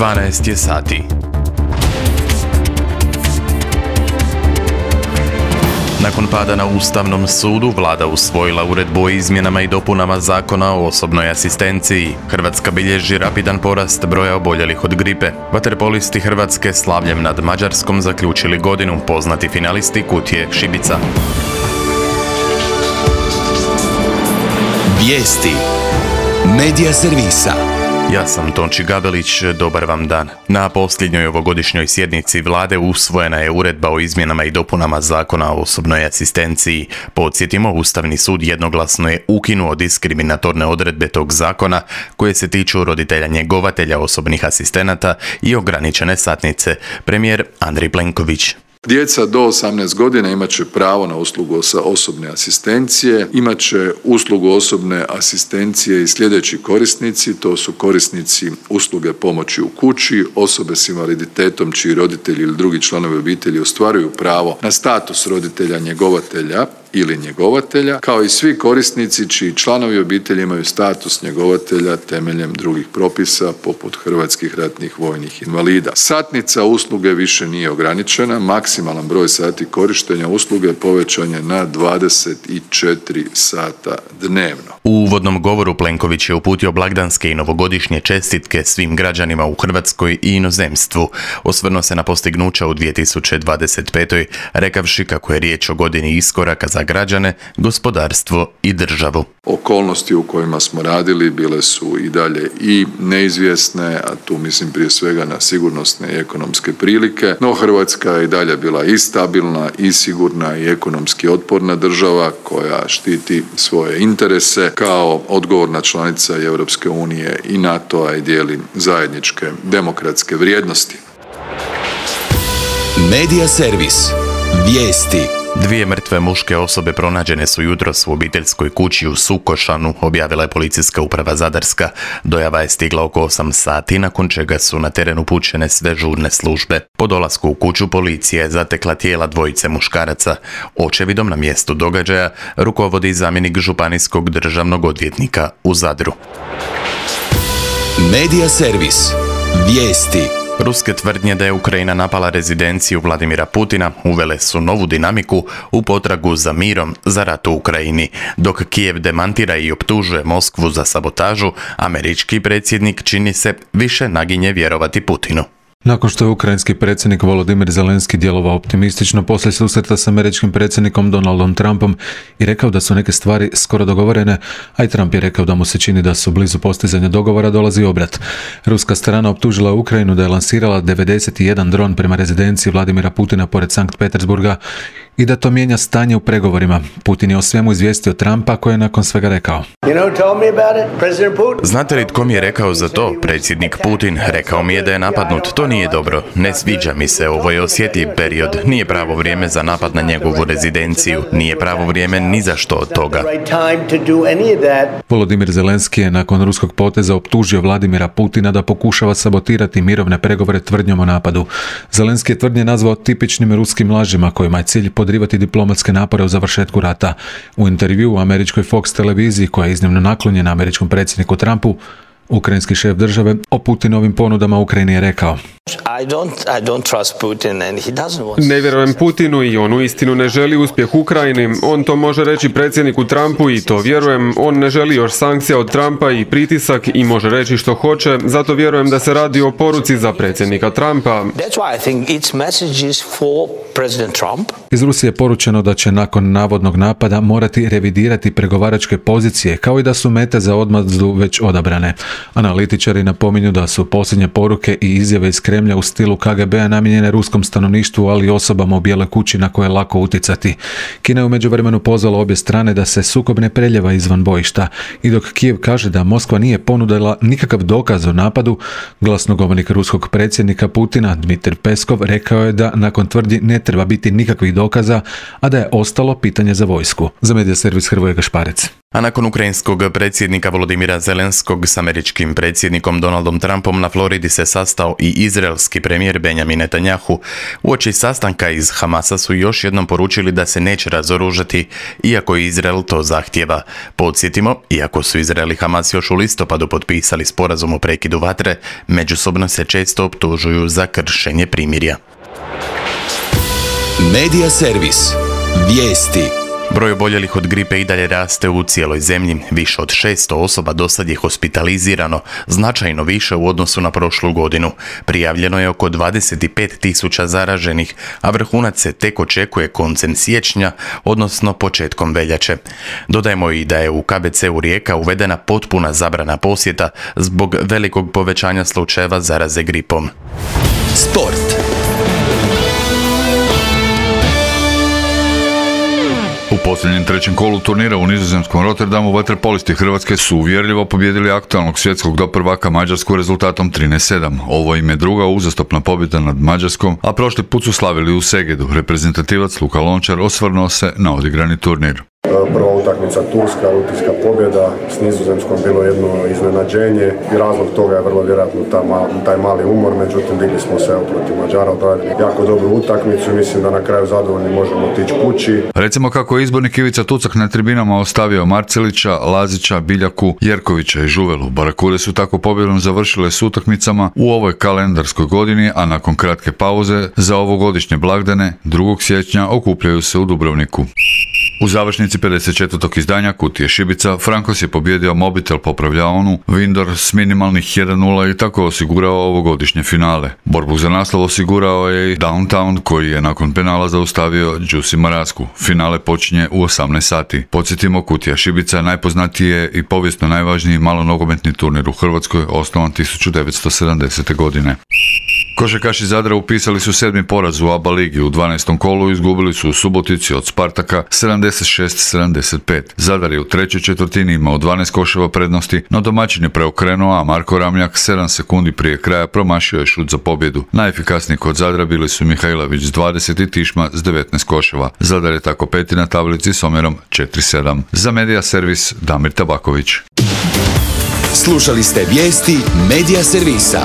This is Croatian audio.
12 je sati. Nakon pada na Ustavnom sudu, vlada usvojila uredbu o izmjenama i dopunama Zakona o osobnoj asistenciji. Hrvatska bilježi rapidan porast broja oboljelih od gripe. Vaterpolisti Hrvatske slavljem nad Mađarskom zaključili godinu, poznati finalisti Kutije Šibica. Vijesti Medija servisa. Ja sam Tonči Gabelić, dobar vam dan. Na posljednjoj ovogodišnjoj sjednici vlade usvojena je uredba o izmjenama i dopunama Zakona o osobnoj asistenciji. Podsjetimo, Ustavni sud jednoglasno je ukinuo diskriminatorne odredbe tog zakona koje se tiču roditelja njegovatelja osobnih asistenata i ograničene satnice. Premijer Andrej Plenković. Djeca do 18 godina imat će pravo na uslugu osobne asistencije, imat će uslugu osobne asistencije i sljedeći korisnici, to su korisnici usluge pomoći u kući, osobe s invaliditetom čiji roditelji ili drugi članovi obitelji ostvaruju pravo na status roditelja njegovatelja ili njegovatelja, kao i svi korisnici čiji članovi obitelji imaju status njegovatelja temeljem drugih propisa poput hrvatskih ratnih vojnih invalida. Satnica usluge više nije ograničena, maksimalan broj sati korištenja usluge povećan je na 24 sata dnevno. U uvodnom govoru Plenković je uputio blagdanske i novogodišnje čestitke svim građanima u Hrvatskoj i inozemstvu. Osvrnuo se na postignuća u 2025. rekavši kako je riječ o godini iskoraka za građane, gospodarstvo i državu. Okolnosti u kojima smo radili bile su i dalje i neizvjesne, a tu mislim prije svega na sigurnosne i ekonomske prilike, no Hrvatska je i dalje bila i stabilna i sigurna i ekonomski otporna država koja štiti svoje interese kao odgovorna članica i Europske unije i NATO-a i dijeli zajedničke demokratske vrijednosti. Medija servis. Vijesti. 2 mrtve muške osobe pronađene su jutros u obiteljskoj kući u Sukošanu, objavila je Policijska uprava Zadarska. Dojava je stigla oko 8 sati, nakon čega su na teren upućene sve žurne službe. Po dolasku u kuću policija je zatekla tijela 2 muškaraca. Očevidom na mjestu događaja rukovodi zamjenik županijskog državnog odvjetnika u Zadru. Medija servis. Vijesti. Ruske tvrdnje da je Ukrajina napala rezidenciju Vladimira Putina uvele su novu dinamiku u potragu za mirom za rat u Ukrajini. Dok Kijev demantira i optužuje Moskvu za sabotažu, američki predsjednik čini se više naginje vjerovati Putinu. Nakon što je ukrajinski predsjednik Volodimir Zelenski djelovao optimistično poslije susreta s američkim predsjednikom Donaldom Trumpom i rekao da su neke stvari skoro dogovorene, a i Trump je rekao da mu se čini da su blizu postizanja dogovora, dolazi obrat. Ruska strana optužila Ukrajinu da je lansirala 91 dron prema rezidenciji Vladimira Putina pored Sankt Petersburga i da to mijenja stanje u pregovorima. Putin je o svemu izvijestio Trumpa, koji je nakon svega rekao: Znate li tko mi je rekao za to? Predsjednik Putin. Rekao mi je da je napadnut. To nije dobro. Ne sviđa mi se. Ovo je osjetljiv period. Nije pravo vrijeme za napad na njegovu rezidenciju. Nije pravo vrijeme ni za što od toga. Volodimir Zelenski je nakon ruskog poteza optužio Vladimira Putina da pokušava sabotirati mirovne pregovore tvrdnjom o napadu. Zelenski je tvrdnje nazvao tipičnim ruskim lažima kojima je cilj podrivati diplomatske napore u završetku rata. U intervjuu u američkoj Fox televiziji, koja je iznimno naklonjena američkom predsjedniku Trumpu, ukrajinski šef države o Putinovim ponudama Ukrajini je rekao: Ne vjerujem Putinu i on uistinu ne želi uspjeh Ukrajini. On to može reći predsjedniku Trumpu i to vjerujem. On ne želi još sankcija od Trumpa i pritisak i može reći što hoće. Zato vjerujem da se radi o poruci za predsjednika Trumpa. Iz Rusije je poručeno da će nakon navodnog napada morati revidirati pregovaračke pozicije, kao i da su mete za odmazdu već odabrane. Analitičari napominju da su posljednje poruke i izjave iz Kremlja u stilu KGB-a namijenjene ruskom stanovništvu, ali i osobama u Bijeloj kući na koje je lako utjecati. Kina je u međuvremenu pozvala obje strane da se sukob ne preljeva izvan bojišta, i dok Kijev kaže da Moskva nije ponudila nikakav dokaz o napadu, glasnogovornik ruskog predsjednika Putina Dmitrij Peskov rekao je da nakon tvrdnji ne treba biti nikakvih dokaza, a da je ostalo pitanje za vojsku. Za medija servis Hrvoje Gašparec. A nakon ukrajinskog predsjednika Volodimira Zelenskog s američkim predsjednikom Donaldom Trumpom na Floridi se sastao i izraelski premijer Benjamin Netanjahu. Uoči sastanka iz Hamasa su još jednom poručili da se neće razoružati, iako Izrael to zahtijeva. Podsjetimo, iako su Izrael i Hamas još u listopadu potpisali sporazum o prekidu vatre, međusobno se često optužuju za kršenje primirja. Medija servis. Vijesti. Broj oboljelih od gripe i dalje raste u cijeloj zemlji. Više od 600 osoba dosad je hospitalizirano, značajno više u odnosu na prošlu godinu. Prijavljeno je oko 25.000 zaraženih, a vrhunac se tek očekuje koncem siječnja, odnosno početkom veljače. Dodajmo i da je u KBC-u Rijeka uvedena potpuna zabrana posjeta zbog velikog povećanja slučajeva zaraze gripom. Sport. U posljednjem trećem kolu turnira u nizozemskom Rotterdamu vaterpolisti Hrvatske su uvjerljivo pobijedili aktualnog svjetskog doprvaka Mađarsku rezultatom 13:7. Ovo im je druga uzastopna pobjeda nad Mađarskom, a prošli put su slavili u Segedu. Reprezentativac Luka Lončar osvrnuo se na odigrani turnir. Prva utakmica Turska, rutinska pobjeda, s Nizozemskom bilo jedno iznenađenje i razlog toga je vrlo vjerojatno taj mali umor, međutim digli smo se protiv Mađara, odradili jako dobru utakmicu i mislim da na kraju zadovoljni možemo otići kući. Recimo kako je izbornik Ivica Tucak na tribinama ostavio Marcelića, Lazića, Biljaku, Jerkovića i Žuvelu. Barakude su tako pobjedom završile s utakmicama u ovoj kalendarskoj godini, a nakon kratke pauze za ovogodišnje blagdane 2. siječnja okupljaju se u Dubrovniku. U završnici 54. izdanja Kutije Šibica, Frankos je pobjedio Mobitel popravljaonu, Vindor s minimalnih 1:0 i tako osigurao ovogodišnje finale. Borbu za naslov osigurao je i Downtown koji je nakon penala zaustavio Đusi Marasku. Finale počinje u 18 sati. Podsjetimo, Kutija Šibica najpoznatiji je i povijesno najvažniji malonogometni turnir u Hrvatskoj, osnovan 1970. godine. Košarkaši Zadra upisali su 7. poraz u ABA ligi. U 12. kolu izgubili su u Subotici od Spartaka 76-75. Zadar je u trećoj četvrtini imao 12 koševa prednosti, no domaćin je preokrenuo, a Marko Ramljak 7 sekundi prije kraja promašio je šut za pobjedu. Najefikasniji kod Zadra bili su Mihajlović s 20 i Tišma s 19 koševa. Zadar je tako peti na tablici s omjerom 4:7. Za Medija servis Damir Tabaković. Slušali ste vijesti Medija servisa.